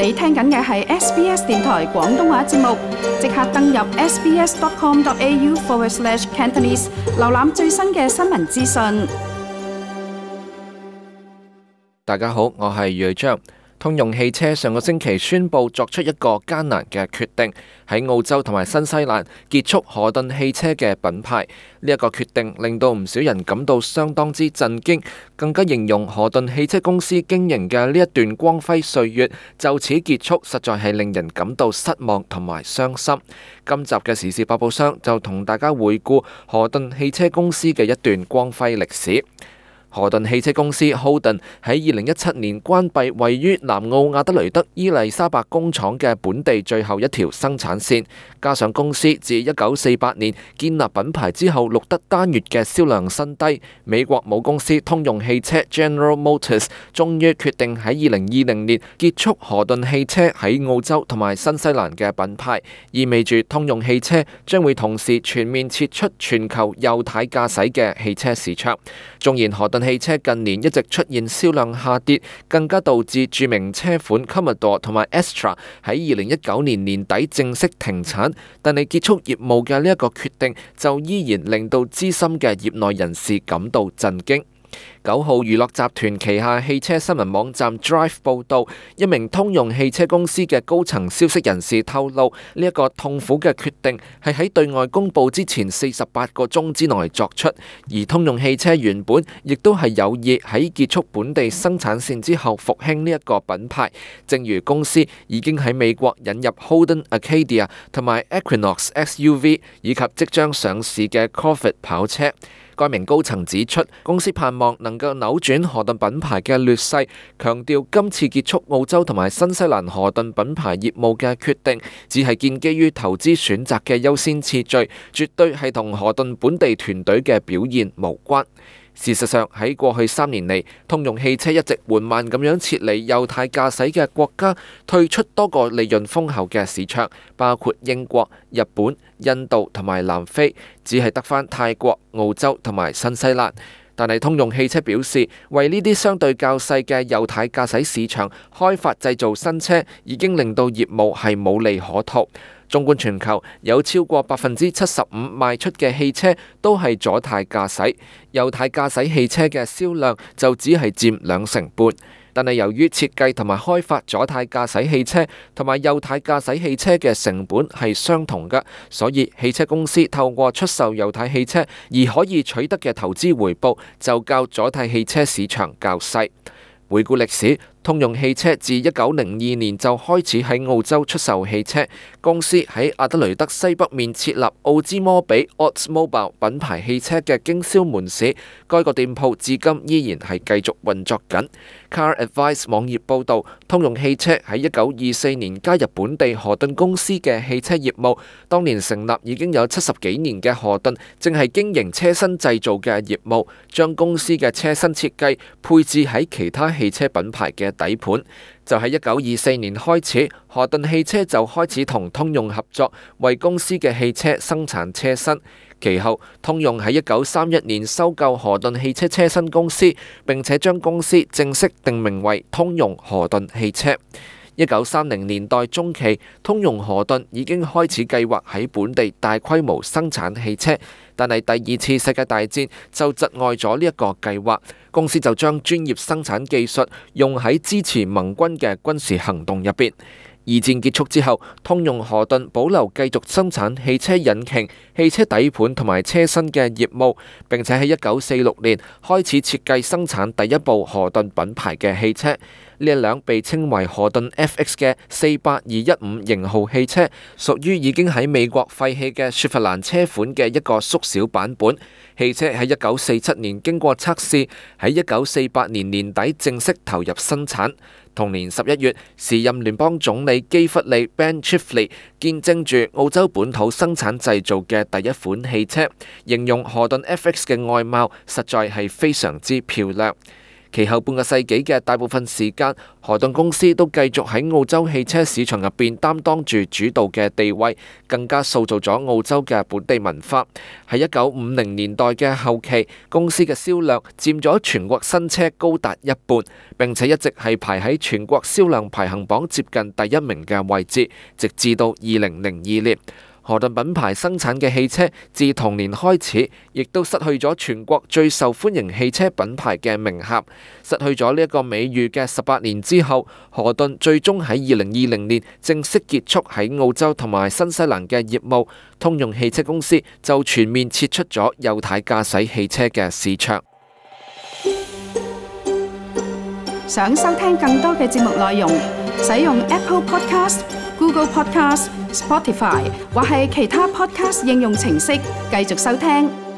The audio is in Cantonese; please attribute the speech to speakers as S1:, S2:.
S1: 你聽緊嘅係 SBS 電台廣東話節目，即刻登入 sbs.com.au/cantonese 瀏覽最新嘅新聞資訊。
S2: 大家好，我係余章。通用汽車上個星期宣布作出一個艱難嘅決定，喺澳洲同埋新西蘭結束河頓汽車嘅品牌。呢一個決定令到唔少人感到相當之震驚，更加形容河頓汽車公司經營嘅呢一段光輝歲月就此結束，實在係令人感到失望同埋傷心。今集嘅時事百寶箱就同大家回顧河頓汽車公司嘅一段光輝歷史。河頓汽車公司 Holden 喺2017年關閉位於南澳亞德雷德伊麗莎白工廠嘅本地最後一條生產線，加上公司自1948年建立品牌之後錄得單月嘅銷量新低，美國母公司通用汽車 General Motors 終於決定喺2020年結束河頓汽車喺澳洲同埋新西蘭嘅品牌，意味住通用汽車將會同時全面撤出全球右軚駕駛嘅汽車市場。縱然河頓汽車近年一直出現銷量下跌，更加導致著名車款 Commodore 同埋 Astra 喺2019年年底正式停產，但係結束業務嘅呢一個決定就依然令到資深嘅業內人士感到震驚。9號娛樂集團旗下汽車新聞網站 Drive 報道，一名通用汽車公司嘅高層消息人士透露，呢一個痛苦嘅決定係喺對外公佈之前48個鐘之內作出，而通用汽車原本亦都係有意喺結束本地生產線之後復興呢一個品牌，正如公司已經喺美國引入 Holden Acadia 同埋 Equinox SUV 以及即將上市嘅 Corvette 跑車。該名高層指出，公司盼望能夠扭轉河頓品牌嘅劣勢，強調今次結束澳洲同埋新西蘭河頓品牌業務嘅決定，只係建基於投資選擇嘅優先次序，絕對係同河頓本地團隊嘅表現無關。事實上，喺過去3年嚟，通用汽車一直緩慢咁樣撤離右軚駕駛嘅國家，退出多個利潤豐厚嘅市場，包括英國、日本、印度同埋南非，只係得返泰國、澳洲同埋新西蘭。但係通用汽車表示，為呢啲相對較細嘅右軚駕駛市場開發製造新車，已經令到業務係冇利可圖。縱觀全球，有超過75%賣出嘅汽車都係左軚駕駛，右軚駕駛汽車嘅銷量就只係佔2成半。但係由於設計同埋開發左軚駕駛汽車同埋右軚駕駛汽車嘅成本係相同嘅，所以汽車公司透過出售右軚汽車而可以取得嘅投資回報就較左軚汽車市場較細。回顧歷史，通用汽車自1902年就開始喺澳洲出售汽車，公司喺亞德雷德西北面設立奧茲摩比 Oldsmobile 品牌汽車嘅經銷門市，該個店鋪至今依然係繼續運作緊。Car Advice 網頁報導，通用汽車喺1924年加入本地河頓公司嘅汽車業務，當年成立已經有70幾年嘅河頓，正係經營車身製造嘅業務，將公司嘅車身設計配置喺其他汽車品牌嘅底盤。就喺1924年開始，河頓汽車就開始同通用合作，為公司嘅汽車生產車身。其後，通用喺1931年收購河頓汽車車身公司，並且將公司正式定名為通用河頓汽車。1930年代中期，通用河頓已經開始計劃喺本地大規模生產汽車，但係第二次世界大戰就窒礙咗呢一個計劃，公司就將專業生產技術用喺支持盟軍嘅軍事行動入邊。二戰結束之後，通用河頓保留繼續生產汽車引擎、汽車底盤同埋車身嘅業務，並且喺1946年開始設計生產第一部河頓品牌嘅汽車。呢一輛被稱為河頓 FX 嘅48215型號汽車，屬於已經喺美國廢棄嘅雪佛蘭車款嘅一個縮小版本。汽車喺1947年經過測試，喺1948年年底正式投入生產。同年11月，時任聯邦總理基弗利 Ben Chifley 見證住澳洲本土生產製造嘅第一款汽車，形容河頓 FX 嘅外貌實在係非常之漂亮。其後半個世紀嘅大部分時間，何頓公司都繼續喺澳洲汽車市場入邊擔當住主導嘅地位，更加塑造咗澳洲嘅本地文化。喺1950年代嘅後期，公司嘅銷量佔咗全國新車高達一半，並且一直係排喺全國銷量排行榜接近第一名嘅位置，直至到2002年。何頓品牌生產嘅汽車自同年開始，亦都失去咗全國最受歡迎汽車品牌嘅名銜。失去咗呢一個美譽嘅18年之後，何頓最終喺2020年正式結束喺澳洲同埋新西蘭嘅業務。通用汽車公司就全面撤出咗右軚駕駛汽車嘅市場。
S1: 想收聽更多嘅節目內容，使用 Apple Podcast、Google Podcast、Spotify 或係其他 Podcast 應用程式繼續收聽。